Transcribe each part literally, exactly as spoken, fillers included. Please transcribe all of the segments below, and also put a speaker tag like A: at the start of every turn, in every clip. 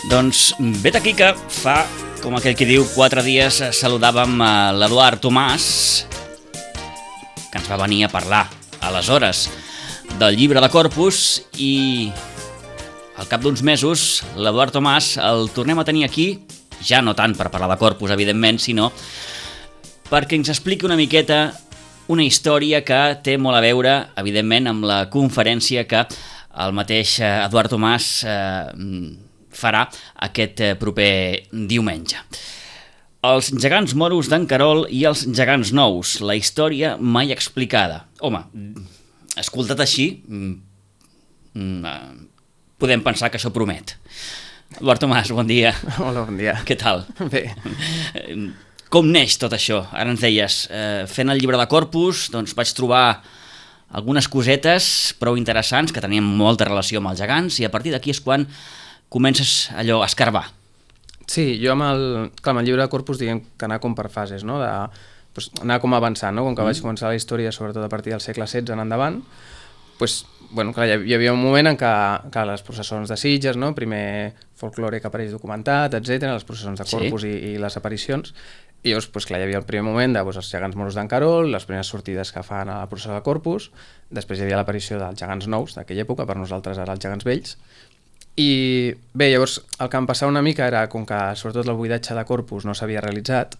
A: Doncs vet aquí que fa, com aquell que diu, quatre dies saludàvem a l'Eduard Tomàs, que ens va venir a parlar, aleshores, del llibre de Corpus, i al cap d'uns mesos l'Eduard Tomàs el tornem a tenir aquí, ja no tant per parlar de Corpus, evidentment, sinó perquè ens expliqui una miqueta una història que té molt a veure, evidentment, amb la conferència que el mateix Eduard Tomàs eh, farà aquest proper diumenge. Els gegants moros d'en Querol i els gegants nous, la història mai explicada. Home, escoltat així, podem pensar que això promet. Eduard Tomàs, bon dia.
B: Hola, bon dia.
A: Què tal?
B: Bé.
A: Com neix tot això? Ara ens deies, eh, fent el llibre de Corpus, doncs vaig trobar algunes cosetes prou interessants que tenien molta relació amb els gegants, i a partir d'aquí és quan comences allò a escarbar.
B: Sí, jo amb el, clar, amb el llibre de Corpus diguem que anar com per fases, no? De, doncs, anar com avançant, no? Com que mm. vaig començar la història, sobretot a partir del segle setze en endavant, doncs, bueno, clar, hi havia un moment en què, que les processons de Sitges, no? Primer folklore que apareix documentat, etcètera, les processons de Corpus sí. i, i les aparicions, i llavors, doncs, clar, hi havia el primer moment de doncs, els gegants moros d'en Querol, les primeres sortides que fan a la processó de Corpus, després hi havia l'aparició dels gegants nous d'aquella època, per nosaltres ara els gegants vells. I bé, llavors el que em passava una mica era, com que sobretot el buidatge de Corpus no s'havia realitzat,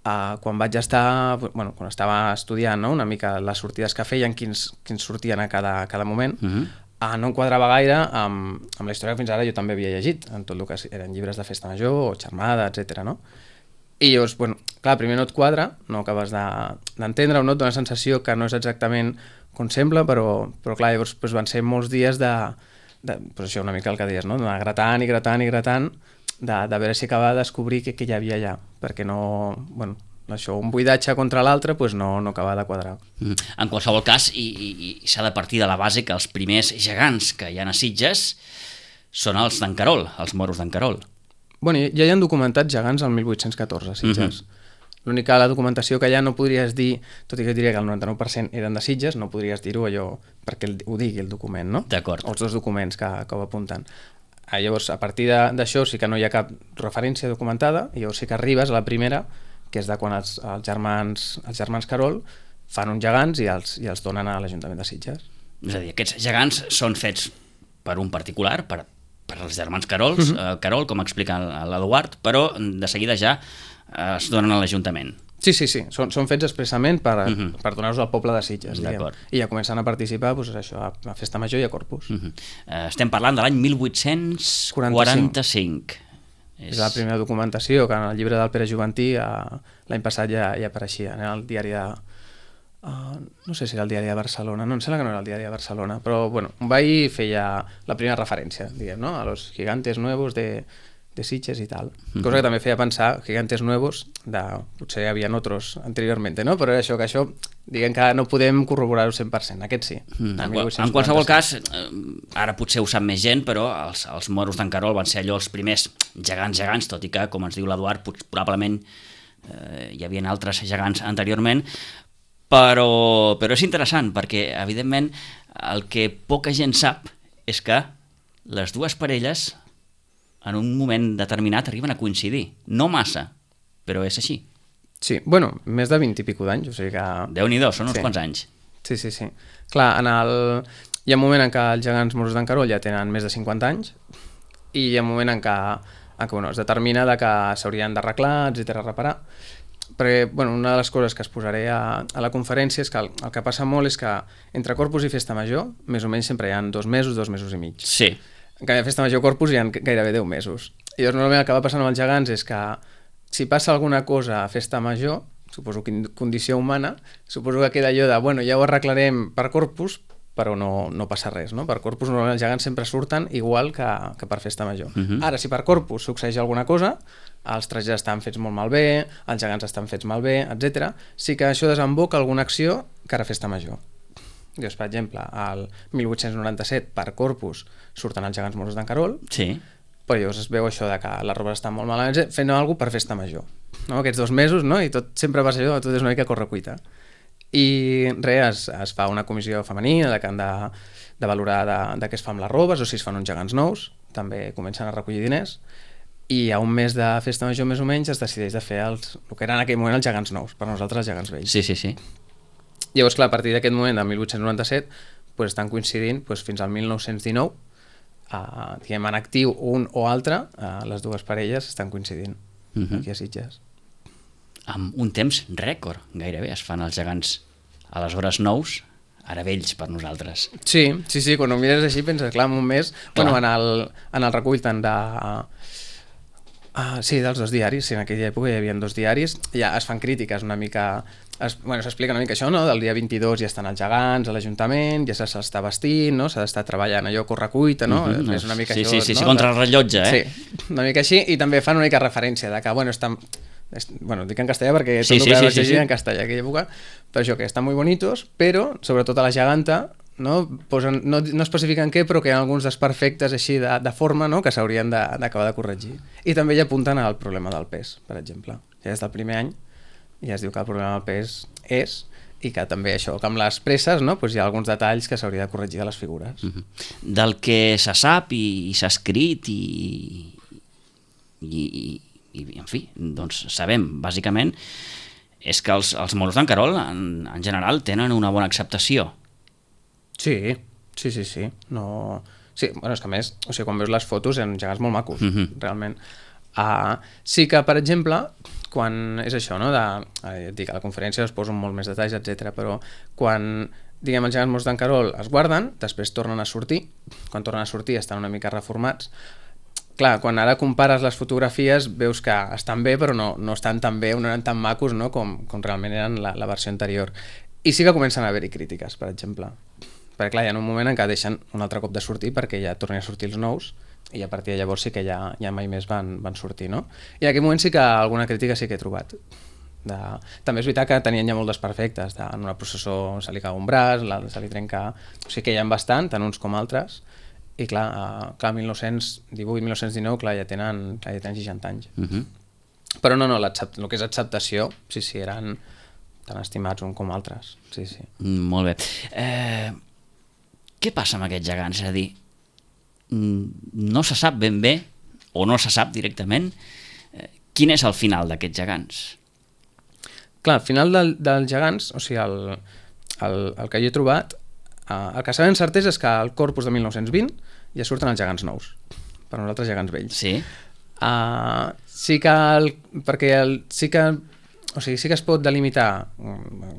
B: eh, quan vaig estar, bueno, quan estava estudiant, no? Una mica les sortides que feien, quins, quins sortien a cada, a cada moment, uh-huh. eh, no em quadrava gaire amb, amb la història que fins ara jo també havia llegit, en tot el que eren llibres de festa major o xermada, etcètera, no? I llavors, bueno, clar, primer no et quadra, no acabes d'entendre, de, o no et dona la sensació que no és exactament com sembla, però, però clar, llavors doncs, van ser molts dies de De, pues això una mica el que deies, no? D'anar gratant i gratant i gratant, de, de veure si acabava de descobrir què, què hi havia allà, perquè no, bueno, això, un buidatge contra l'altre pues no, no acaba de quadrar.
A: Mm. En qualsevol cas, i, i, i s'ha de partir de la base que els primers gegants que hi ha a Sitges són els d'en Querol, els moros d'en Querol.
B: Bueno, ja hi ha documentats gegants al mil vuit-cents catorze a Sitges. Mm-hmm. L'única la documentació que hi ha no podries dir, tot i que diria que el noranta-nou per cent eren de Sitges, no podries dir-ho allò perquè el, ho digui el document, no?
A: D'acord.
B: Els dos documents que, que ho apunten. Ah, llavors, a partir d'això sí que no hi ha cap referència documentada, i llavors sí que arribes a la primera, que és de quan els, els, germans, els germans Querol fan uns gegants i els, i els donen a l'Ajuntament de Sitges.
A: És a dir, aquests gegants són fets per un particular, per, per els germans Querol, uh-huh. eh, Querol, com explica l'Eduard, però de seguida ja es donen a l'Ajuntament.
B: Sí, sí, sí, són, són fets expressament per, uh-huh. per donar-los al poble de Sitges, diguem. I ja comencen a participar doncs, això, a, a Festa Major i a Corpus.
A: Uh-huh. uh, estem parlant de l'any mil vuit-cents quaranta-cinc.
B: És... és la primera documentació que en el llibre del Pere Juventí uh, l'any passat ja, ja apareixia, en el diari de... Uh, no sé si era el diari de Barcelona, no, em sembla que no era el diari de Barcelona, però bueno, va i feia la primera referència, diguem, no? A los gigantes nuevos de... de Sitges i tal. Cosa mm-hmm. que també feia pensar gigantes nuevos, de, potser hi havia otros anteriorment, no? Però això que això, diguem que no podem corroborar-ho cent per cent, aquest sí.
A: Mm. En, qual, en qualsevol cas, eh, ara potser ho sap més gent, però els, els moros d'en Querol van ser allò els primers gegants gegants, tot i que, com ens diu l'Eduard, probablement eh, hi havia altres gegants anteriorment, però, però és interessant, perquè, evidentment, el que poca gent sap és que les dues parelles en un moment determinat arriben a coincidir. No massa, però és així.
B: Sí, bueno, més de vint i pico d'anys, o sigui que...
A: Déu-n'hi-do, són uns
B: sí.
A: quants anys.
B: Sí, sí, sí. Clar, en el... hi ha un moment en què els gegants moros d'en Querol ja tenen més de cinquanta anys, i hi ha un moment en què, en què bueno, es determina de que s'haurien d'arreglar, etcètera, reparar. Perquè, bueno, una de les coses que es posaré a, a la conferència és que el, el que passa molt és que entre Corpus i Festa Major, més o menys sempre hi ha dos mesos, dos mesos i mig.
A: Sí.
B: En canvi, a Festa Major Corpus hi ha gairebé deu mesos. I llavors, normalment el que va passant amb els gegants és que si passa alguna cosa a festa major, suposo que condició humana, suposo que queda allò de, bueno, ja ho arreglarem per Corpus, però no, no passa res, no? Per Corpus normalment els gegants sempre surten igual que, que per festa major. Uh-huh. Ara, si per Corpus succeeix alguna cosa, els trajets estan fets molt malbé, els gegants estan fets malbé, etcètera, sí que això desemboca alguna acció cara a festa major. Dius, per exemple, al mil vuit-cents noranta-set per Corpus surten els gegants moros d'en Carol,
A: sí.
B: Però llavors es veu això de que les robes estan molt malament, fent alguna cosa per festa major. No? Aquests dos mesos, no? I tot sempre passa allò, tot és una mica correcuita. I res, es, es fa una comissió femenina de que han de, de valorar de, de què es fa amb les robes o si es fan uns gegants nous, també comencen a recollir diners i a un mes de festa major més o menys es decideix de fer els, el que eren en aquell moment els gegants nous, per nosaltres els gegants vells.
A: Sí, sí, sí.
B: Llavors, clar, a partir d'aquest moment, del mil vuit-cents noranta-set, pues, estan coincidint pues, fins al mil nou-cents dinou, uh, diguem, en actiu un o altre, uh, les dues parelles estan coincidint uh-huh. aquí a Sitges.
A: Amb un temps rècord, gairebé, es fan els gegants aleshores nous, ara vells per nosaltres.
B: Sí, sí, sí, quan ho mires així penses, clar, en un mes, clar. Bueno, en el, en el recull tant de... Uh, sí, dels dos diaris, sí, en aquella època hi havia dos diaris, ja es fan crítiques una mica... Es, bueno, s'explica una mica això, no? Del dia vint-i-dos ja estan els gegants a l'Ajuntament, ja s'està vestint, no? S'ha d'estar treballant allò correcuita, no?
A: Uh-huh.
B: És una mica
A: sí,
B: això,
A: sí, sí,
B: no?
A: sí, contra el rellotge, eh?
B: Sí, una mica així, i també fan una mica referència de que, bueno, estan... Bueno, dic en castellà perquè tot
A: sí,
B: el
A: sí,
B: que
A: sí,
B: vaig
A: sí,
B: llegir
A: sí.
B: en castellà aquella època, però això, que estan molt bonitos, però, sobretot a la geganta, no, posen, no, no especifiquen què, però que hi ha alguns desperfectes així de, de forma, no?, que s'haurien d'acabar de, de corregir. I també ja apunten al problema del pes, per exemple. Ja des del primer any ja es diu que el problema del pes és, i que també això, que amb les presses, no?, doncs hi ha alguns detalls que s'hauria de corregir de les figures.
A: Uh-huh. Del que se sap i, i s'ha escrit i, i, i, en fi, doncs sabem, bàsicament, és que els, els moros d'en Carol, en, en general, tenen una bona acceptació.
B: Sí, sí, sí, sí. No... Sí, bueno, és que a més, o sigui, quan veus les fotos eren gegants molt macos, uh-huh. realment. Uh, sí que, per exemple, quan és això, no? De, eh, dic, a la conferència es posen molt més detalls, etcètera, però quan, diguem, els gegants moros d'en Carol es guarden, després tornen a sortir, quan tornen a sortir estan una mica reformats. Clar, quan ara compares les fotografies veus que estan bé, però no, no estan tan bé, no eren tan macos, no?, com, com realment eren la, la versió anterior. I sí que comencen a haver-hi crítiques, per exemple. Perquè clar, hi ha un moment en què deixen un altre cop de sortir perquè ja tornen a sortir els nous i a partir de llavors sí que ja, ja mai més van, van sortir, no? I en aquell moment sí que alguna crítica sí que he trobat. De... També és veritat que tenien ja molt desperfectes, de, en una processó se li cau un braç, se li trenca... O sigui que hi ha bastant, tant uns com altres, i clar, uh, clar mil nou-cents divuit mil nou-cents dinou, clar, ja tenen, clar, ja tenen seixanta anys. Uh-huh. Però no, no, el que és acceptació, sí, sí, eren tan estimats un com altres, sí, sí.
A: Mm, molt bé. Eh, què passa amb aquests gegants? És a dir, no se sap ben bé, o no se sap directament, eh, quin és el final d'aquests gegants?
B: Clar, el final del, dels gegants, o sigui, el, el, el que jo he trobat, Uh, el que sabem certesa és que al Corpus de mil nou-cents vint ja surten els gegants nous, per nosaltres gegants vells.
A: Sí.
B: Uh, sí que, el, perquè el, sí que, o sigui, sí que es pot delimitar,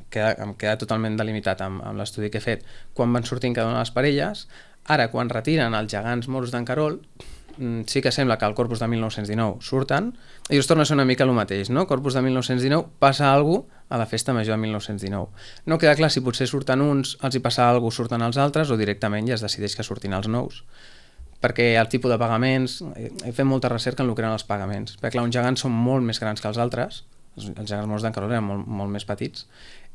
B: queda, em queda totalment delimitat amb, amb l'estudi que he fet, quan van sortint cada una de les parelles. Ara, quan retiren els gegants moros d'en Carol, sí que sembla que al Corpus de mil nou-cents dinou surten, i us torna a ser una mica el mateix, no? Corpus de mil nou-cents dinou passa alguna cosa a la festa major de mil nou-cents dinou. No queda clar si potser surten uns, els hi passa alguna cosa, surten els altres, o directament ja es decideix que surtin els nous. Perquè el tipus de pagaments, he fet molta recerca en el que eren els pagaments, perquè clar, uns gegants són molt més grans que els altres, els gegants moros d'en Carol eren molt, molt més petits,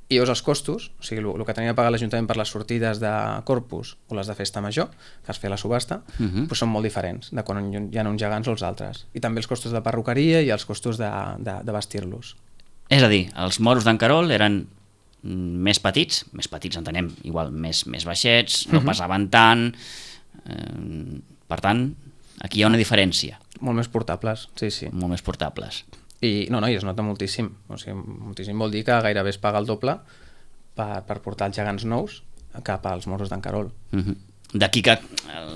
B: i llavors els costos, o sigui, el, el que tenia de pagar l'Ajuntament per les sortides de Corpus o les de festa major, que es feia la subhasta, uh-huh. doncs són molt diferents de quan hi ha uns gegants o els altres. I també els costos de perruqueria i els costos de, de, de vestir-los.
A: És a dir, els moros d'en Carol eren més petits, més petits entenem, igual més, més baixets, no uh-huh. pesaven tant, eh, per tant, aquí hi ha una diferència.
B: Molt més portables, sí, sí.
A: Molt més portables.
B: I no, no, i es nota moltíssim. O sigui, moltíssim vol dir que gairebé es paga el doble per, per portar els gegants nous cap als moros d'en Carol.
A: Uh-huh. D'aquí que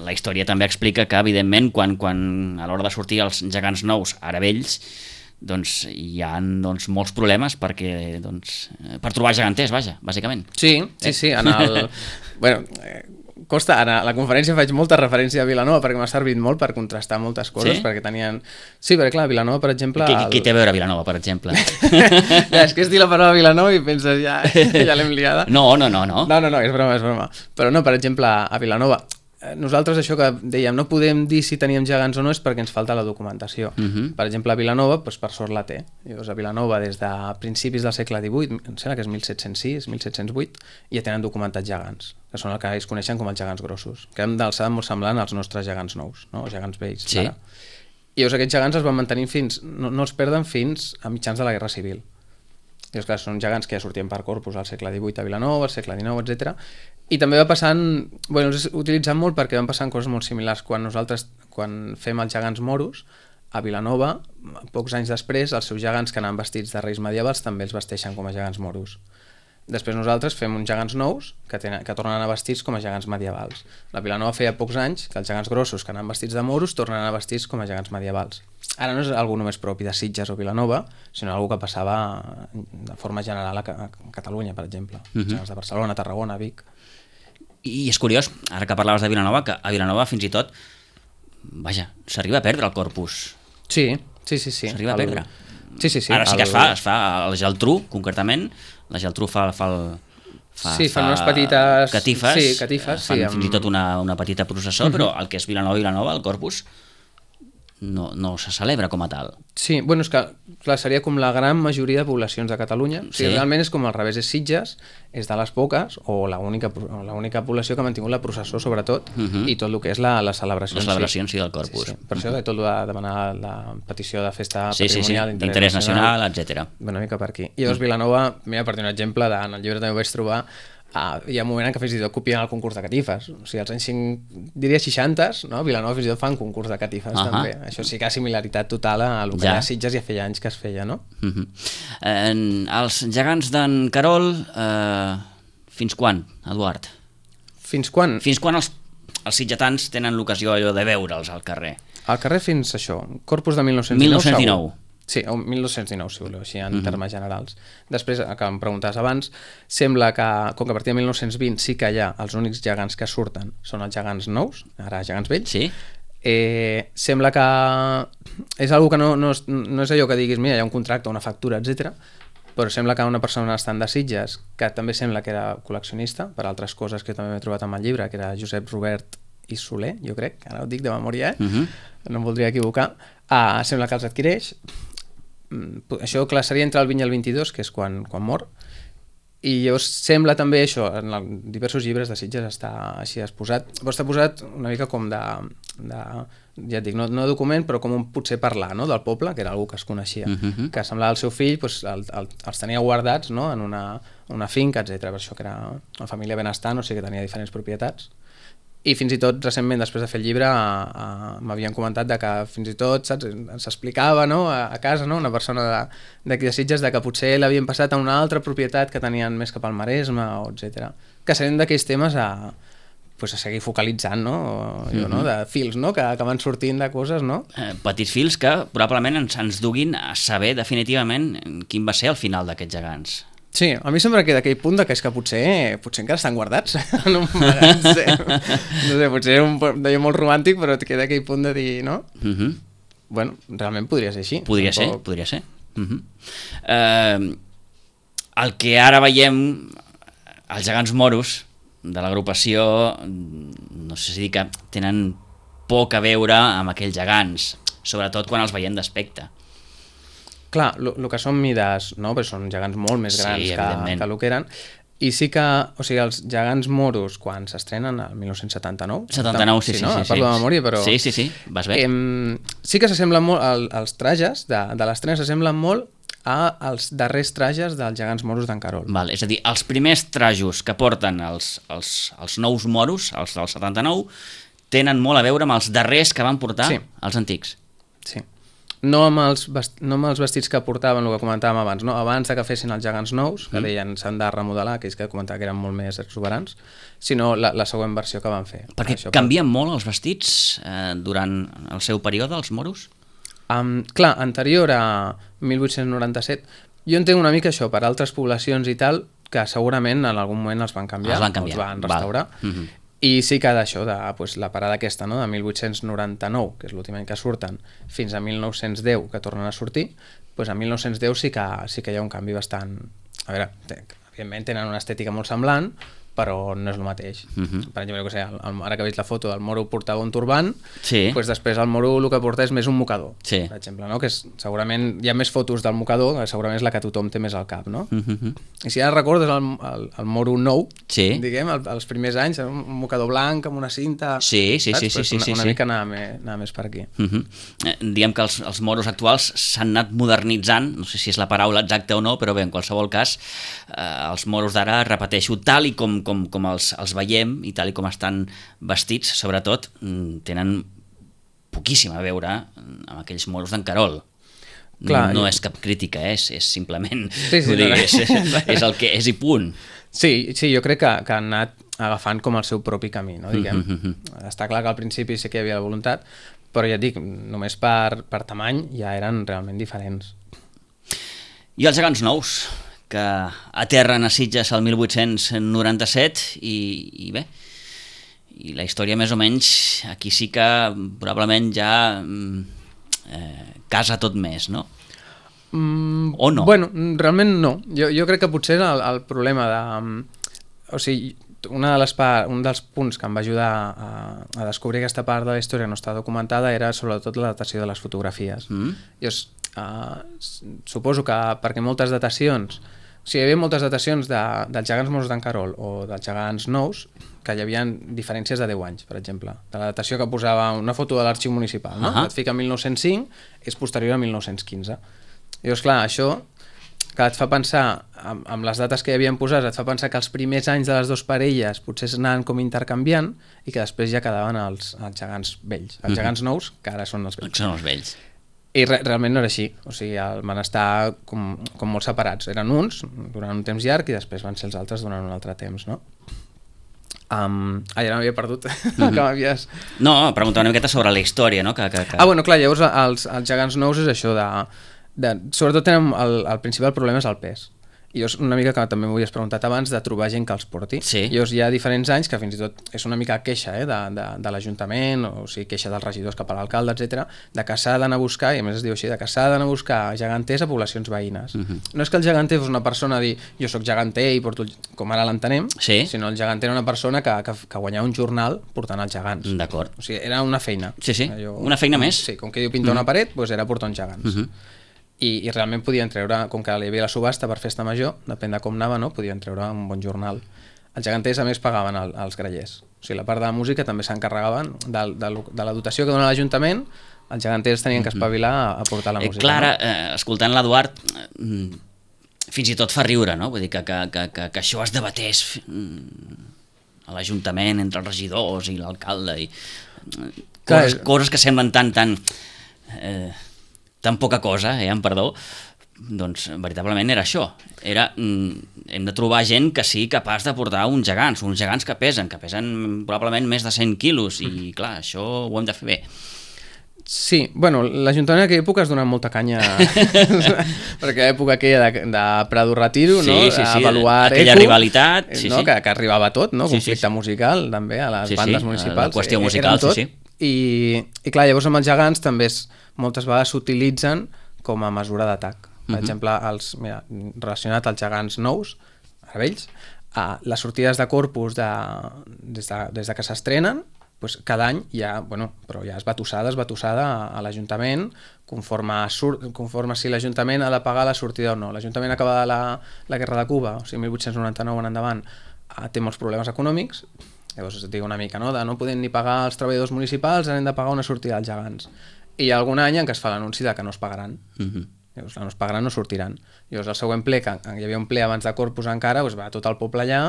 A: la història també explica que, evidentment, quan, quan a l'hora de sortir els gegants nous, ara vells, doncs hi ha doncs, molts problemes perquè, doncs, per trobar geganters, vaja, bàsicament.
B: Sí, sí, sí. En el... bueno, eh, costa, ara a la conferència faig molta referència a Vilanova perquè m'ha servit molt per contrastar moltes coses,
A: sí?
B: perquè tenien... Sí, perquè clar, Vilanova, per exemple...
A: Què,
B: el...
A: què té a veure Vilanova, per exemple?
B: ja, és que és dir la paraula Vilanova i penses, ja, ja l'hem liada.
A: No, no, no, no.
B: No, no, no, és broma, és broma. Però no, per exemple, a Vilanova, nosaltres això que dèiem, no podem dir si teníem gegants o no és perquè ens falta la documentació. Uh -huh. Per exemple, a Vilanova, doncs, per sort la té. Llavors, a Vilanova, des de principis del segle divuit, em sembla que és mil set-cents sis, mil set-cents vuit, ja tenen documentats gegants, que són el que es coneixen com els gegants grossos, que hem d'alçada molt semblant als nostres gegants nous, no? O gegants vells.
A: Sí.
B: Ara. I llavors aquests gegants es van mantenir fins, no, no els perden fins a mitjans de la Guerra Civil. I clar, són gegants que ja sortien per corpus al segle divuit a Vilanova, al segle dinou, etcètera. I també va passant, bueno, els utilitzant molt perquè van passant coses molt similars. Quan nosaltres, quan fem els gegants moros, a Vilanova, pocs anys després, els seus gegants que anaven vestits de reis medievals també els vesteixen com a gegants moros. Després nosaltres fem uns gegants nous que, tenen, que tornen a anar vestits com a gegants medievals. La Vilanova feia pocs anys que els gegants grossos que anaven vestits de moros tornen a anar vestits com a gegants medievals. Ara no és algú només propi de Sitges o Vilanova, sinó algú que passava de forma general a, a Catalunya, per exemple. Uh -huh. Gegants de Barcelona, Tarragona, Vic...
A: I és curiós, ara que parlaves de Vilanova, que a Vilanova fins i tot, vaja, s'arriba a perdre el corpus.
B: Sí, sí, sí. sí.
A: S'arriba el... a perdre.
B: Sí, sí, sí.
A: Ara sí que
B: el...
A: es fa, es fa el Geltrú, concretament, la Geltrú fa, fa el... Fa,
B: sí, fan
A: fa
B: unes petites...
A: catifes,
B: sí, catifes
A: fan
B: sí,
A: amb... fins i tot una, una petita processó, uh -huh. però el que és Vilanova, Vilanova, el corpus, no, no se celebra com a tal.
B: Sí, bueno, és que clar, seria com la gran majoria de poblacions de Catalunya. O sigui, sí. Realment és com al revés, és Sitges, és de les poques, o l'única població que ha mantingut la processó, sobretot, uh -huh. i tot el que és la, la celebració.
A: La celebració en sí del corpus.
B: Sí, sí. Per això de tot de demanar la petició de festa
A: sí,
B: patrimonial
A: sí, sí. d'interès nacional, nacional etcètera.
B: Una mica per aquí. I llavors Vilanova, mira, per dir un exemple, de, en el llibre també ho vaig trobar, Uh, hi ha un moment en què fins i tot copien el concurs de catifes. O sigui, als anys cinc, diria seixanta, no? Vilanova fins i tot fan concurs de catifes, uh -huh. també. Això sí que ha similaritat total a el que ja. Hi ha Sitges ja feia anys que es feia, no?
A: Uh -huh. eh, els gegants d'en Carol, eh, fins quan, Eduard?
B: Fins quan?
A: Fins quan els, els sitgetans tenen l'ocasió allò de veure'ls al carrer?
B: Al carrer fins això, corpus de mil nou-cents dinou.
A: mil nou-cents dinou.
B: Sí, o mil dos-cents dinou, si voleu, així en uh -huh. termes generals. Després, que em preguntaves abans, sembla que, com que a partir de mil nou-cents vint sí que hi ha els únics gegants que surten són els gegants nous, ara gegants vells,
A: sí.
B: eh, sembla que és algo que no, no, és, no és allò que diguis, mira, hi ha un contracte, una factura, etcètera, però sembla que una persona estant de Sitges, que també sembla que era col·leccionista, per altres coses que també m'he trobat en el llibre, que era Josep Robert i Soler, jo crec, ara ho dic de memòria, eh? uh -huh. no em voldria equivocar, ah, sembla que els adquireix. Això clar, seria entre el vint i el vint-i-dos, que és quan, quan mor, i llavors sembla també això, en el, diversos llibres de Sitges està així exposat, però està posat una mica com de, de ja et dic, no, no document, però com un potser parlar, no?, del poble, que era algú que es coneixia, uh -huh. que semblava el seu fill, doncs, el, el, els tenia guardats, no?, en una, una finca, etcètera. Per això que era una família benestant, o sigui que tenia diferents propietats. I fins i tot recentment, després de fer el llibre, m'havien comentat de que fins i tot, saps, s'explicava, no?, a, a casa, no?, una persona d'aquí de, de Sitges, de que potser l'havien passat a una altra propietat que tenien més cap al Maresme, o etcètera. Que serien d'aquells temes a, pues, a seguir focalitzant, no?, o, mm -hmm. no?, de fils, no?, que, que van sortint de coses, no?
A: Eh, petits fils que probablement ens, ens duguin a saber definitivament quin va ser el final d'aquests gegants.
B: Sí, a mi sempre queda aquell punt de que és que potser, potser encara estan guardats en un magatzem. No sé, no sé, potser és un d'allò molt romàntic, però et queda aquell punt de dir, no? Uh -huh. Bueno, realment podria ser així.
A: Podria ser, poc... podria ser. Uh -huh. eh, el que ara veiem, els gegants moros de l'agrupació, no sé si dir que tenen poc a veure amb aquells gegants, sobretot quan els veiem d'aspecte.
B: Clar, el que són mides, no?, perquè són gegants molt més grans sí, que, que el que eren, i sí que, o sigui, els gegants moros, quan s'estrenen, el mil nou-cents setanta-nou...
A: setanta-nou, sí, sí, sí.
B: No?
A: sí, sí.
B: Parlo de memòria, però...
A: Sí, sí, sí, vas bé.
B: Eh, sí que s'assemblen molt, el, els trajes de, de l'estrena s'assemblen molt als darrers trajes dels gegants moros d'en Carol.
A: Val, és a dir, els primers trajos que porten els, els, els nous moros, els del setanta-nou, tenen molt a veure amb els darrers que van portar sí. els antics.
B: Sí. No amb, els vest... no amb els vestits que portaven, el que comentàvem abans, no? Abans de que fessin els gegants nous, que mm. deien s'han de remodelar, aquells que comentava que eren molt més exuberants, sinó la, la següent versió que van fer.
A: Perquè això, canvien per... molt els vestits eh, durant el seu període, els moros?
B: Um, clar, anterior a mil vuit-cents noranta-set, jo entenc una mica això, per altres poblacions i tal, que segurament en algun moment els van canviar,
A: els van, canviar.
B: els van restaurar, uh -huh. I sí que d'això, de pues, la parada aquesta, no? de mil vuit-cents noranta-nou, que és l'últim any que surten, fins a mil nou-cents deu, que tornen a sortir, pues, a mil nou-cents deu sí que, sí que hi ha un canvi bastant... A veure, evidentment tenen una estètica molt semblant, però no és el mateix. Uh-huh. Per exemple, que sé, el, el, ara que veig la foto del moro portava un turbant, sí. pues després el moro el que porta és més un mocador, sí. per exemple, no? Que és, segurament hi ha més fotos del mocador, segurament és la que tothom té més al cap, no? Uh-huh. I si ara recordes el, el, el moro nou, sí. diguem, el, els primers anys, un mocador blanc amb una cinta,
A: sí, sí, sí, sí,
B: pues
A: sí,
B: una,
A: sí,
B: una
A: sí.
B: mica anar, me, anar més per aquí.
A: Uh-huh. eh, diguem que els, els moros actuals s'han anat modernitzant, no sé si és la paraula exacta o no, però bé, en qualsevol cas, eh, els moros d'ara, repeteixo, tal i com com, com els, els veiem i tal i com estan vestits, sobretot, tenen poquíssim a veure amb aquells moros d'en Carol. Clar, no jo... és cap crítica, eh? és, és simplement sí, sí, dir, no, és, és el que és i punt.
B: Sí, sí, jo crec que, que han anat agafant com el seu propi camí, no? Diguem. Mm-hmm. Està clar que al principi sí que hi havia la voluntat, però ja et dic, només per, per tamany ja eren realment diferents.
A: I els gegants nous, que aterren a Sitges el mil vuit-cents noranta-set i, i bé, i la història més o menys aquí sí que probablement ja eh, casa tot més, no? Mm, o no?
B: Bueno, realment no. Jo, jo crec que potser el, el problema de... O sigui, una de les part, un dels punts que em va ajudar a, a descobrir aquesta part de la història que no està documentada era sobretot la datació de les fotografies. Mm. Jo uh, suposo que perquè moltes datacions... O sigui, hi havia moltes datacions de, dels gegants morts d'en Carol o dels gegants nous que hi havia diferències de deu anys, per exemple. De la datació que posava una foto de l'arxiu municipal, no? Uh-huh. Et fica mil nou-cents cinc, és posterior a mil nou-cents quinze. I llavors, clar, això que et fa pensar, amb, amb les dates que hi havien posat, et fa pensar que els primers anys de les dues parelles potser anaven com intercanviant i que després ja quedaven els, els gegants vells. Els uh-huh. gegants nous, que ara són els vells.
A: Són els vells.
B: I re realment no era així, o sigui, el, van estar com, com molt separats. Eren uns durant un temps llarg i després van ser els altres durant un altre temps, no? Um, ah, ja no m'havia perdut. Mm-hmm. que m'havies...
A: No, preguntava una miqueta sobre la història, no? Que, que, que...
B: Ah, bueno, clar, llavors els, els gegants nous és això de... de sobretot tenen el, el principal problema és el pes. I és una mica que també m'ho havies preguntat abans de trobar gent que els porti. Sí. Llavors hi ha diferents anys que fins i tot és una mica queixa eh, de, de, de l'Ajuntament, o sigui, queixa dels regidors cap a l'alcalde, etcètera, de que s'ha d'anar a buscar, i a més es diu així, de que s'ha d'anar a buscar geganters a poblacions veïnes. Uh-huh. No és que el geganter fos una persona a dir jo sóc geganter i porto, com ara l'entenem, sí. sinó el geganter era una persona que, que, que guanyava un jornal portant els gegants.
A: D'acord.
B: O sigui, era una feina.
A: Sí, sí, Allò, una feina més.
B: Sí, com que diu pintar uh-huh. una paret, doncs era portar uns gegants. Uh-huh. I, i realment podien treure, com que hi havia la subhasta per festa major, depèn de com anava, no? Podien treure un bon jornal. Els geganters a més pagaven el, els grallers, o sigui, la part de la música també s'encarregaven de, de, de la dotació que dona l'Ajuntament, els geganters tenien que espavilar a, a portar la música.
A: Eh, Clara,
B: no?
A: eh, escoltant l'Eduard, eh, fins i tot fa riure, no? Vull dir que, que, que, que, que això es debatés a l'Ajuntament entre els regidors i l'alcalde i coses, coses que semblen tan tan eh, tan poca cosa, eh, amb perdó, doncs veritablement era això. Era, mm, hem de trobar gent que sigui capaç de portar uns gegants, uns gegants que pesen, que pesen probablement més de cent quilos, i clar, això ho hem de fer bé.
B: Sí, bueno, l'Ajuntament en aquella època es donava molta canya perquè l'època aquella de, de Prado Retiro,
A: sí,
B: no?
A: Sí, sí,
B: avaluar
A: aquella
B: eco,
A: rivalitat, sí,
B: no?
A: sí.
B: Que, que arribava a tot, no?
A: Sí,
B: conflicte
A: sí, sí.
B: musical també a les
A: sí,
B: bandes
A: sí,
B: municipals.
A: la qüestió musical, sí, sí.
B: I, I clar, llavors amb els gegants també es, moltes vegades s'utilitzen com a mesura d'atac. Per uh-huh. exemple, els, mira, relacionat als gegants nous, ara vells, a les sortides de Corpus de, des, de, des de que s'estrenen, pues cada any hi ha, bueno, però ja és batussada, és batussada a, a l'Ajuntament conforme, sur, conforme si l'Ajuntament ha de pagar la sortida o no. L'Ajuntament acaba de la, la Guerra de Cuba, o sigui, mil vuit-cents noranta-nou en endavant, té molts problemes econòmics. Llavors es diu una mica, no? De no podem ni pagar els treballadors municipals, hem de pagar una sortida als gegants. I hi ha algun any en què es fa l'anunci de que no es pagaran. Uh-huh. Llavors, no es pagaran, no sortiran. Llavors, el següent ple, que hi havia un ple abans de Corpus encara, doncs va tot el poble allà,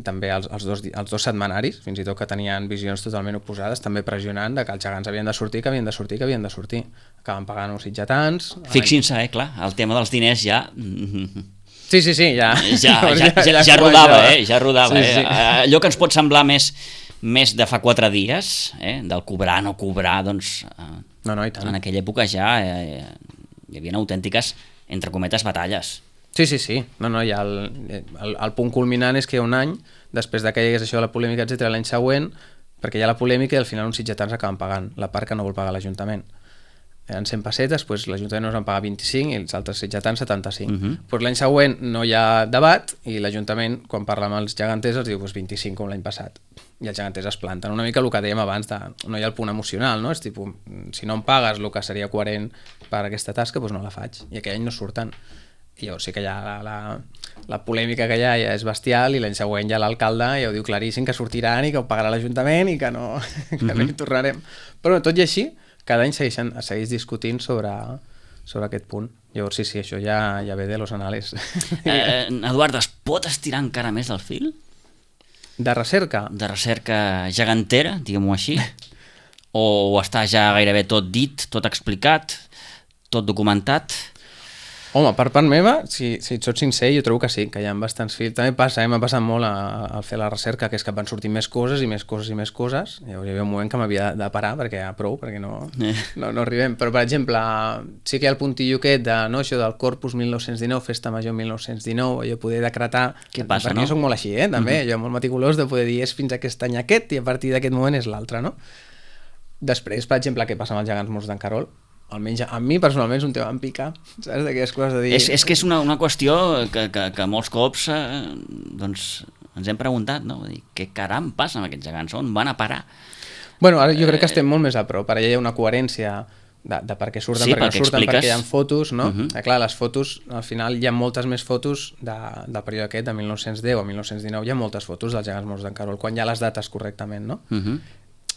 B: també els, els, dos, els dos setmanaris, fins i tot que tenien visions totalment oposades, també pressionant de que els gegants havien de sortir, que havien de sortir, que havien de sortir. Acaben pagant uns sitgetans...
A: Fixin-se, eh, clar, el tema dels diners ja...
B: Sí, sí, sí, ja...
A: Ja, ja, ja, ja, ja rodava, eh? Ja rodava, sí, sí. eh? Allò que ens pot semblar més, més de fa quatre dies, eh? Del cobrar, no cobrar, doncs... Eh,
B: no, no, i tant.
A: En aquella època ja eh, hi havia autèntiques, entre cometes, batalles.
B: Sí, sí, sí. No, no, ja el, el, el punt culminant és que hi ha un any, després de que hi hagués això de la polèmica, etcètera, l'any següent, perquè hi ha la polèmica i al final uns sitgetans acaben pagant la part que no vol pagar l'Ajuntament. Eren cent pessetes, doncs l'Ajuntament nos en paga vint-i-cinc i els altres sitgetans setanta-cinc. Uh-huh. Pues l'any següent no hi ha debat i l'Ajuntament, quan parla amb els geganters, els diu pues, vint-i-cinc com l'any passat. I els geganters es planten. Una mica el que dèiem abans, de, no hi ha el punt emocional, no? És tipus, si no em pagues el que seria coherent per aquesta tasca, doncs no la faig. I aquell any no surten. I llavors sí que ja la, la, la polèmica que hi ha ja és bestial i l'any següent ja l'alcalde ja ho diu claríssim que sortiran i que ho pagarà l'Ajuntament i que no, que uh-huh. no hi tornarem. Però tot i així, cada any segueixen, segueix discutint sobre, sobre aquest punt. Llavors sí, sí, això ja, ja ve de los anales.
A: Eh, Eduard, es pot estirar encara més el fil?
B: De recerca?
A: De recerca gegantera, diguem-ho així? O està ja gairebé tot dit, tot explicat, tot documentat?
B: Home, per part meva, si, si et soc sincer, jo trobo que sí, que hi ha bastants fils. També passa, eh? m'ha passat molt al fer la recerca, que és que van sortir més coses i més coses i més coses. Llavors hi havia un moment que m'havia de parar, perquè ja prou, perquè no, eh. no, no arribem. Però, per exemple, sí que hi ha el puntillo aquest de, no, això del Corpus mil nou-cents dinou, Festa Major mil nou-cents dinou, allò poder decretar...
A: Què passa,
B: perquè
A: no?
B: jo soc molt així, eh? també, uh-huh. jo molt meticulós de poder dir és fins aquest any aquest i a partir d'aquest moment és l'altre, no? Després, per exemple, què passa amb els gegants morts d'en Carol? Almenys a mi personalment és un tema en pica, saps, d'aquelles coses de dir...
A: És, és que és una, una qüestió que, que, que molts cops eh, doncs, ens hem preguntat, no? Dir, què caram passa amb aquests gegants? On van a parar?
B: Bueno, ara jo crec que estem molt més a prop, ara ja hi ha una coherència de, de per què surten,
A: sí,
B: per què no surten,
A: expliques...
B: perquè hi ha fotos, no?
A: Uh-huh.
B: eh, clar, les fotos, al final hi ha moltes més fotos de, del període aquest, de mil nou-cents deu a mil nou-cents dinou, hi ha moltes fotos dels gegants morts d'en Carol, quan hi ha les dates correctament, no? Uh-huh.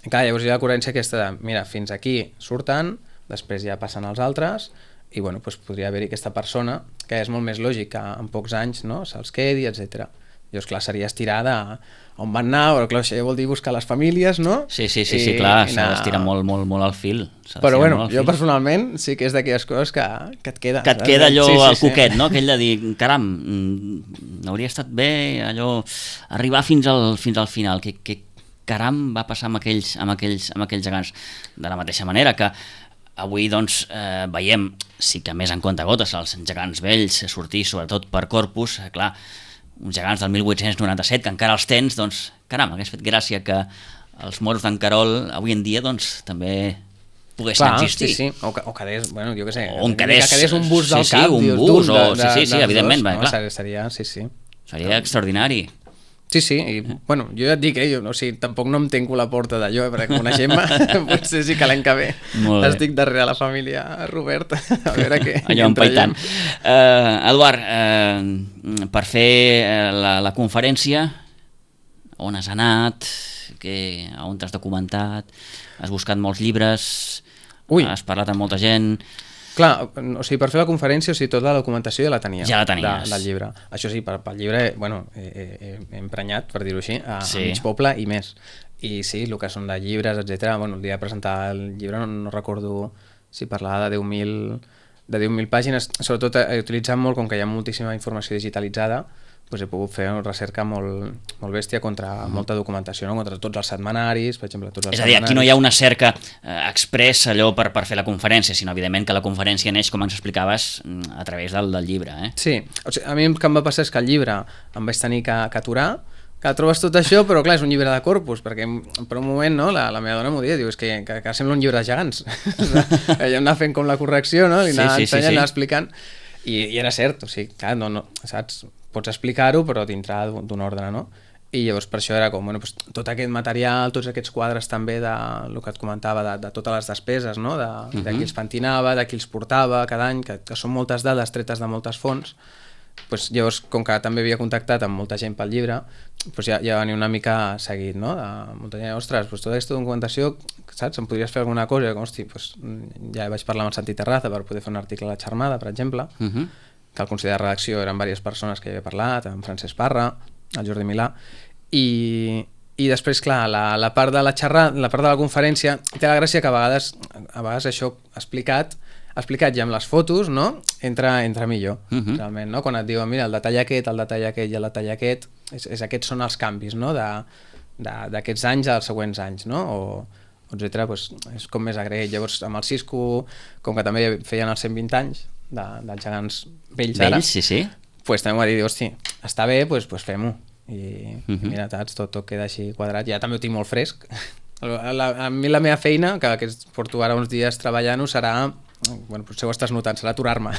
B: I clar, llavors hi ha la coherència aquesta de, mira, fins aquí surten, després ja passen els altres i bueno, doncs podria haver-hi aquesta persona que és molt més lògic que en pocs anys no, se'ls quedi, etcètera. Llavors, clar, seria estirar de on van anar, però clar, això ja vol dir buscar les famílies, no?
A: Sí, sí, sí, sí clar, s'ha d'estirar molt, molt, molt al fil.
B: Però bueno, jo personalment sí que és d'aquelles coses que, que et queda.
A: Que et queda allò
B: sí, sí,
A: al
B: sí.
A: cuquet, no? Aquell de dir, caram, hauria estat bé allò, arribar fins al, fins al final, que, que caram va passar amb aquells, amb aquells, amb aquells gegants. De la mateixa manera que avui doncs, eh, veiem, sí que més en compte gotes, els gegants vells sortir sobretot per Corpus, eh, clar, uns gegants del mil vuit-cents noranta-set que encara els tens, doncs, caram, hagués fet gràcia que els moros d'en Carol avui en dia doncs, també poguessin
B: clar,
A: existir.
B: Sí, sí, o, o quedés, bueno, jo què sé,
A: o quedés,
B: que quedés un bus del
A: sí,
B: cap,
A: sí, un
B: dius,
A: bus, o,
B: de,
A: sí, sí, sí, evidentment,
B: dos,
A: va,
B: no,
A: clar.
B: Seria, sí, sí.
A: Seria extraordinari.
B: Sí, sí, i bueno, jo ja et dic, eh, jo, o sigui, tampoc no em tanco la porta d'allò, eh, perquè coneixent-me, potser sí que l'any que ve estic darrere la família Robert, a veure què...
A: Allò empaitant. Uh, Eduard, uh, per fer la, la conferència, on has anat, que, on t'has documentat, has buscat molts llibres, Ui. has parlat amb molta gent...
B: Clar, o sigui, per fer la conferència, o sigui, tota la documentació ja la tenia.
A: Ja la tenies.
B: De, del llibre. Això sí, per, pel llibre, bueno, he, he, he emprenyat, per dir-ho així, a,
A: sí.
B: a mig poble i més. I sí, el que són de llibres, etcètera. Bueno, el dia de presentar el llibre no, no recordo si parlava de deu mil de deu mil pàgines. Sobretot he utilitzat molt, com que hi ha moltíssima informació digitalitzada, doncs he pogut fer una recerca molt, molt bèstia contra mm. molta documentació, no? Contra tots els setmanaris, per exemple. Tots els
A: és a dir, aquí no hi ha una cerca eh, express allò per, per fer la conferència, sinó evidentment que la conferència neix, com ens explicaves, a través del, del llibre. Eh?
B: Sí, o sigui, a mi el que em va passar és que el llibre em vaig tenir que, que aturar, que trobes tot això, però clar, és un llibre de Corpus, perquè per un moment no, la, la meva dona m'ho dia, diu, és que, que, que sembla un llibre de gegants. Ella em anava fent com la correcció, no? I anava sí, sí, ensenyant, sí, sí. anava explicant, i, i era cert, o sigui, clar, no, no, saps? Pots explicar-ho, però dintre d'un ordre, no? I llavors per això era com, bueno, doncs, tot aquest material, tots aquests quadres també de el que et comentava, de, de totes les despeses, no? De, uh-huh. de qui els pentinava, de qui els portava cada any, que, que són moltes dades tretes de moltes fonts. Pues, llavors, com que també havia contactat amb molta gent pel llibre, pues ja, ja venia una mica seguit, no? De molta gent, ostres, pues, tota aquesta documentació, saps? Em podries fer alguna cosa? I com, hosti, pues, ja vaig parlar amb el Santi Terraza per poder fer un article a la Xarmada, per exemple, uh-huh. que el consell de redacció eren diverses persones que hi havia parlat, amb Francesc Parra, el Jordi Milà, i, i després, clar, la, la part de la xerrada, la part de la conferència, té la gràcia que a vegades, a vegades això explicat, explicat ja amb les fotos, no? Entra, entra millor, uh-huh. realment, no? Quan et diuen, mira, el detall aquest, el detall aquest i el detall aquest, és, és aquests són els canvis, no? De, de, d'aquests anys als següents anys, no? O, etcètera, doncs és com més agraït. Llavors, amb el Cisco, com que també feien els cent vint anys, de, dels gegants vells, vells ara,
A: sí, sí.
B: pues també m'ho va dir, hosti, està bé, pues, pues fem-ho. I, uh -huh. i mira, saps, tot, tot queda així quadrat. Ja també ho tinc molt fresc. A, la, a mi la meva feina, que, que porto ara uns dies treballant-ho, serà, bueno, potser ho estàs notant, serà aturar-me.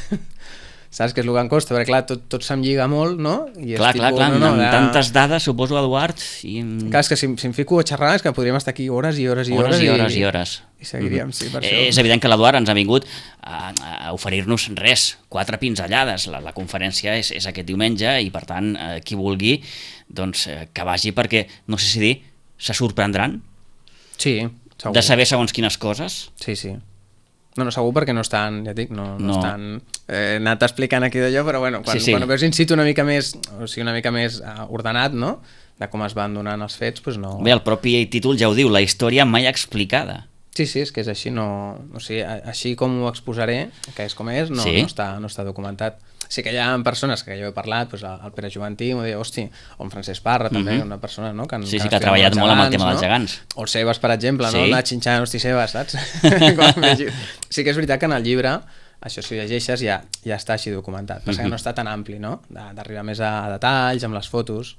B: Saps que és el que em costa, perquè clar, tot, tot se'm lliga molt, no? I
A: clar, clar, clar, no, no, amb de... tantes dades, suposo, Eduard. I...
B: Clar, és que si, si em fico a xerrar és que podríem estar aquí hores i hores i hores.
A: Hores i hores i, i hores.
B: I seguiríem, mm -hmm. sí, per
A: eh,
B: això.
A: És evident que l'Eduard ens ha vingut a, a oferir-nos res, quatre pinzellades. La, la conferència és, és aquest diumenge i, per tant, eh, qui vulgui, doncs, eh, que vagi perquè, no sé si dir, se sorprendran?
B: Sí, segur.
A: De saber segons quines coses?
B: Sí, sí. No, no, segur perquè no estan, ja et dic, no, no,
A: no.
B: estan eh, anat explicant aquí d'allò, però bueno, quan,
A: sí, sí.
B: quan ho veus in situ una mica més, o sigui, una mica més uh, ordenat, no?, de com es van donant els fets, doncs no...
A: Bé, el propi títol ja ho diu, la història mai explicada.
B: Sí, sí, és que és així, no... O sigui, així com ho exposaré, que és com és, no,
A: sí?
B: no, està, no està documentat. Sí que hi ha persones que jo he parlat, doncs el Pere Joventí m'ho deia, hosti, o en Francesc Parra també, uh -huh. una persona, no? Que,
A: sí, sí, que ha treballat molt amb el tema no? dels gegants.
B: O el Sebas, per exemple,
A: sí.
B: no? Anar xinxant, hosti, Sebas, saps? Sí que és veritat que en el llibre, això si ho llegeixes ja, ja està així documentat, però uh -huh. que no està tan ampli, no? D'arribar més a detalls, amb les fotos...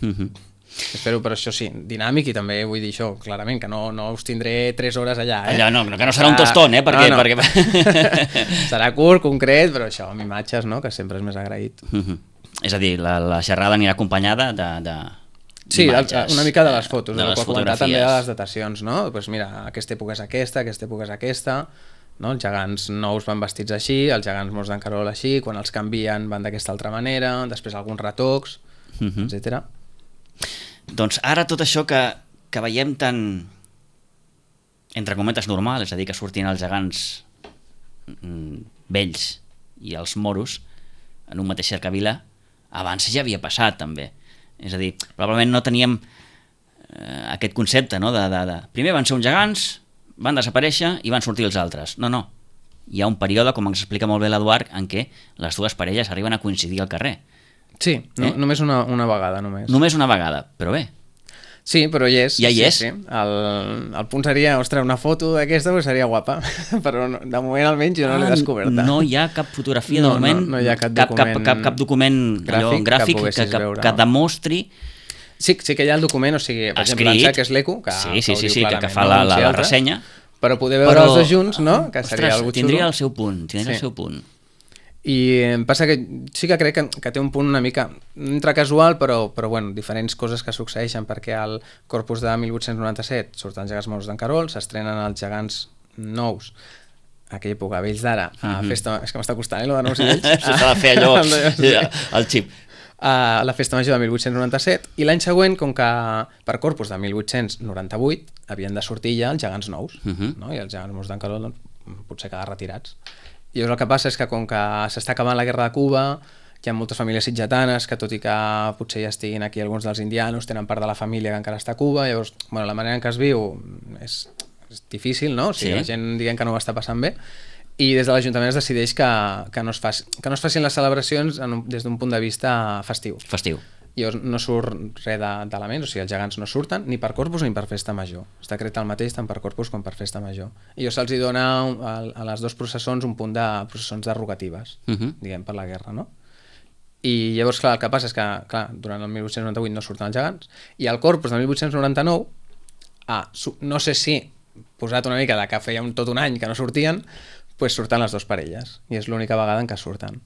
B: Uh -huh. Espero, però això sí, dinàmic, i també vull dir això, clarament, que no, no us tindré tres hores allà, eh?
A: Allà no, que no serà un tostón, eh? Perquè,
B: no, no.
A: perquè...
B: Serà curt, concret, però això, amb imatges, no?, que sempre és més agraït.
A: Uh-huh. És a dir, la, la xerrada anirà acompanyada de... de...
B: Sí, una mica de les fotos,
A: de les fotografies.
B: També de les datacions, no? Pues mira, aquesta època és aquesta, aquesta època és aquesta, no? Els gegants nous van vestits així, els gegants morts d'en Carol així, quan els canvien van d'aquesta altra manera, després alguns retocs, uh-huh. etcètera.
A: Doncs ara tot això que, que veiem tan, entre cometes, normal, és a dir, que surtin els gegants mm, vells i els moros en un mateix cercavila, abans ja havia passat també. És a dir, probablement no teníem eh, aquest concepte, no? de, de, de... Primer van ser uns gegants, van desaparèixer i van sortir els altres. No, no. Hi ha un període, com ens explica molt bé l'Eduard, en què les dues parelles arriben a coincidir al carrer.
B: Sí, no, eh? només una, una vegada. Només
A: Només una vegada, però bé.
B: Sí, però hi és.
A: Ja hi
B: sí,
A: és.
B: Sí. El, el punt seria, ostres, una foto d'aquesta pues seria guapa, però no, de moment almenys jo no ah, l'he descoberta.
A: No hi ha cap fotografia
B: no,
A: de moment,
B: no, no hi ha cap
A: cap,
B: document,
A: cap, cap, cap document gràfic, allò, gràfic que, que, que, que demostri...
B: Sí, sí que hi ha el document, o sigui, per
A: escrit,
B: exemple, l'Ansac és l'Eco, que,
A: sí, sí,
B: que
A: sí, sí,
B: clarament,
A: que, que fa la, la, la ressenya,
B: però poder veure però, els dos junts, no? Que
A: ostres,
B: seria algo xulo.
A: Tindria el seu punt, tindria sí. el seu punt.
B: I em passa que sí que crec que, que té un punt una mica entre casual, però, però bueno, diferents coses que succeeixen, perquè al Corpus de mil vuit-cents noranta-set surten els gegants morts d'en Carol, s'estrenen els gegants nous, a aquella època, vells d'ara, a mm -hmm. festa... És que m'està costant, eh, lo de nous i vells.
A: Això s'ha de fer allò, el xip.
B: A la festa major de mil vuit-cents noranta-set, i l'any següent, com que per Corpus de mil vuit-cents noranta-vuit havien de sortir ja els gegants nous, mm -hmm. no? I els gegants morts d'en Carol doncs, potser quedar retirats. I llavors el que passa és que com que s'està acabant la guerra de Cuba, hi ha moltes famílies sitgetanes que, tot i que potser ja estiguin aquí alguns dels indianos, tenen part de la família que encara està a Cuba, llavors bueno, la manera en què es viu és, és difícil, no? O sigui, sí. La gent diguem que no ho està passant bé, i des de l'Ajuntament es decideix que, que, no, es faci, que no es facin les celebracions en un, des d'un punt de vista festiu.
A: Festiu.
B: Llavors no surt res d'elements, o sigui, els gegants no surten ni per Corpus ni per Festa Major. Es decreta el mateix tant per Corpus com per Festa Major. I llavors se'ls dona a, a les dues processons un punt de processons derogatives, uh -huh. diguem, per la guerra, no? I llavors, clar, el que passa és que, clar, durant el mil vuit-cents noranta-vuit no surten els gegants, i al Corpus de mil vuit-cents noranta-nou, ah, no sé si, posat una mica de que feia un, tot un any que no sortien, pues surten les dues parelles, i és l'única vegada en què surten.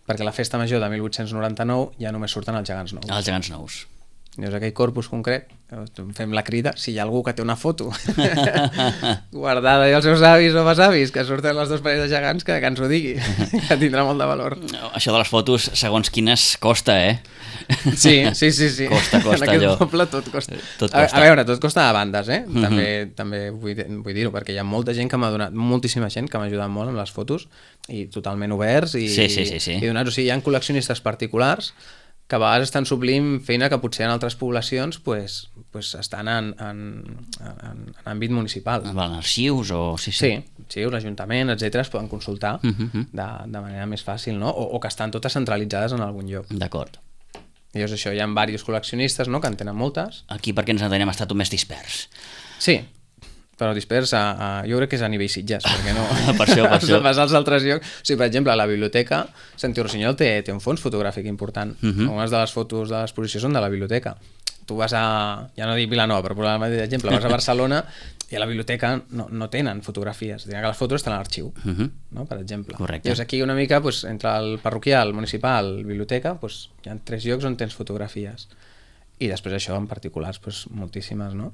B: Perquè la festa major de mil vuit-cents noranta-nou ja només surten els gegants nous.
A: Els gegants nous.
B: Llavors aquell Corpus concret, fem la crida, si hi ha algú que té una foto guardada i els seus avis o besavis que surten les dues parelles de gegants, que, que ens ho digui, que tindrà molt de valor.
A: Això de les fotos, segons quines, costa, eh?
B: Sí, sí, sí, sí.
A: Costa, costa,
B: en aquest
A: allò.
B: poble tot costa.
A: Tot costa.
B: A, a veure, tot costa a bandes, eh? Mm -hmm. També, també vull, vull dir-ho, perquè hi ha molta gent que m'ha donat, moltíssima gent que m'ha ajudat molt amb les fotos, i totalment oberts, i,
A: sí, sí, sí, sí.
B: i donats. O sigui, hi ha col·leccionistes particulars que a vegades estan suplint feina que potser en altres poblacions pues, pues estan en, en, en, en àmbit municipal.
A: En arxius o... Sí, sí.
B: Sí, sí, l'Ajuntament, etcètera, es poden consultar uh -huh. de, de manera més fàcil, no? O, o que estan totes centralitzades en algun lloc.
A: D'acord.
B: I llavors això, hi ha diversos col·leccionistes, no?, que en tenen moltes.
A: Aquí perquè ens en tenim estat un més dispers.
B: Sí, però dispers a, a, jo crec que és a nivell Sitges, perquè no...
A: per això, per això.
B: Vas als altres llocs. O sigui, per exemple, a la biblioteca, Santi Rossinyol té, té un fons fotogràfic important. Uh -huh. Algunes de les fotos de l'exposició són de la biblioteca. Tu vas a, ja no dic Vilanova, per posar el mateix exemple, vas a Barcelona i a la biblioteca no, no tenen fotografies, tenen que les fotos estan a l'arxiu, uh -huh. no? Per exemple.
A: Correcte.
B: Llavors aquí una mica, pues, entre el parroquial, el municipal, la biblioteca, pues, hi ha tres llocs on tens fotografies. I després això, en particulars, pues, moltíssimes, no?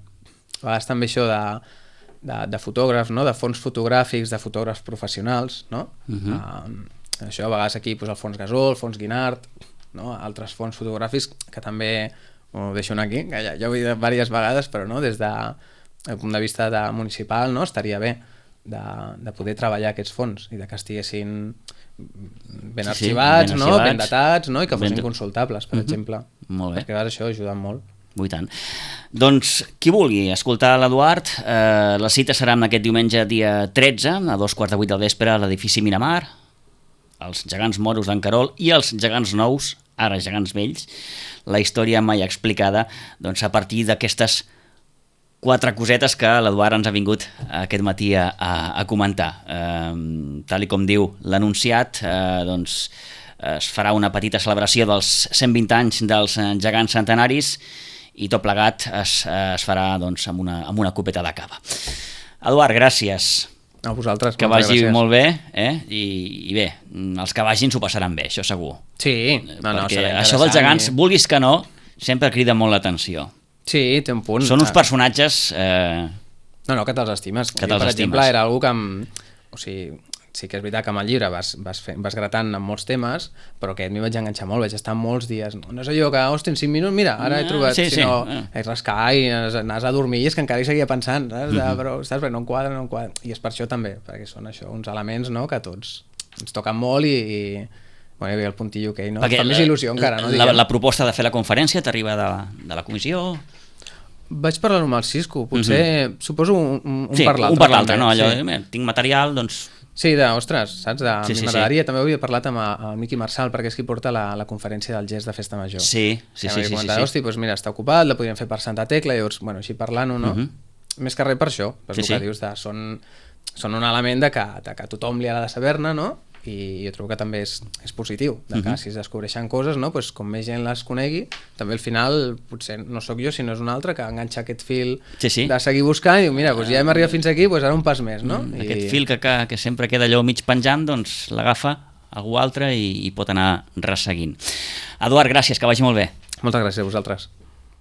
B: A vegades també això de, de, de fotògrafs, no? De fons fotogràfics, de fotògrafs professionals, no? Uh -huh. uh, això a vegades aquí, pues, el fons Gasol, el fons Guinart, no? Altres fons fotogràfics que també ho deixo aquí, que ja, ja ho he dit diverses vegades, però no? Des de el punt de vista de municipal, no? Estaria bé de, de poder treballar aquests fons i de que estiguessin ben
A: sí,
B: arxivats,
A: sí, ben,
B: no?
A: arxivats.
B: Ben datats, no? I que fossin
A: ben...
B: consultables, per uh -huh. exemple.
A: Molt bé.
B: Perquè a vegades això ajuda molt.
A: I tant. Doncs qui vulgui escoltar l'Eduard, eh, la cita serà aquest diumenge dia tretze, a dos quarts de vuit del vespre, a l'edifici Miramar, els gegants moros d'en Querol i els gegants nous, ara gegants vells, la història mai explicada, doncs a partir d'aquestes quatre cosetes que l'Eduard ens ha vingut aquest matí a, a, a comentar. Eh, tal i com diu l'anunciat, eh, doncs es farà una petita celebració dels cent vint anys dels gegants centenaris i tot plegat es, es farà doncs, amb, una, amb una copeta de cava. Eduard, gràcies.
B: A vosaltres.
A: Que vagi gràcies. Molt bé, eh? I, i bé, els que vagin s'ho passaran bé, això segur.
B: Sí, no, no,
A: perquè això dels gegants, i... vulguis que no, sempre crida molt l'atenció.
B: Sí, té un punt.
A: Són uns personatges... Eh...
B: No, no, que te'ls estimes.
A: Que
B: jo,
A: te'ls
B: per
A: estimes.
B: exemple, era algú que... Em... O sigui, sí que és veritat que amb el llibre vas, vas, fent, vas gratant en molts temes, però aquest m'hi vaig enganxar molt, vaig estar molts dies. No, no és allò que, hosti, en cinc minuts, mira, ara he trobat,
A: sí,
B: sinó
A: sí.
B: és rascar i anaves a dormir i és que encara hi seguia pensant, saps? De, però, saps? Perquè no em quadra, no em quadra. I és per això també, perquè són això, uns elements, no?, que tots ens toquen molt i... i bueno, hi havia el puntillo que no? Fa més il·lusió encara, no?
A: La, la proposta de fer la conferència t'arriba de, de la comissió?
B: Vaig parlar-ho amb el Cisco, potser, uh -huh. suposo un, un, un
A: sí,
B: per l'altre.
A: un per l'altre, no? Allò,
B: sí.
A: eh, tinc material, doncs...
B: Sí, de, ostres, saps? De,
A: sí, sí,
B: m'agradaria,
A: sí.
B: també havia parlat amb el Miqui Marçal, perquè és qui porta la, la conferència del gest de Festa Major.
A: Sí, sí, sí. sí,
B: comentat,
A: sí, sí.
B: Hosti, doncs mira, està ocupat, la podríem fer per Santa Tecla, llavors, bueno, així parlant-ho, no? Uh -huh. Més que res per això, per sí, el que sí. dius, de, són, són un element de que, de que tothom li ha de saber-ne, no? I jo trobo que també és, és positiu, de que uh -huh. si es descobreixen coses, no? Pues, com més gent les conegui, també al final, potser no sóc jo, sinó és un altre que enganxa aquest fil
A: sí, sí.
B: de seguir buscant i diu, mira, pues ja hem arribat fins aquí, pues ara un pas més, no?
A: Mm,
B: I...
A: Aquest fil que, que, que sempre queda allò mig penjant, doncs l'agafa algú altre i, i pot anar resseguint. Eduard, gràcies, que vagi molt bé.
B: Moltes gràcies a vosaltres.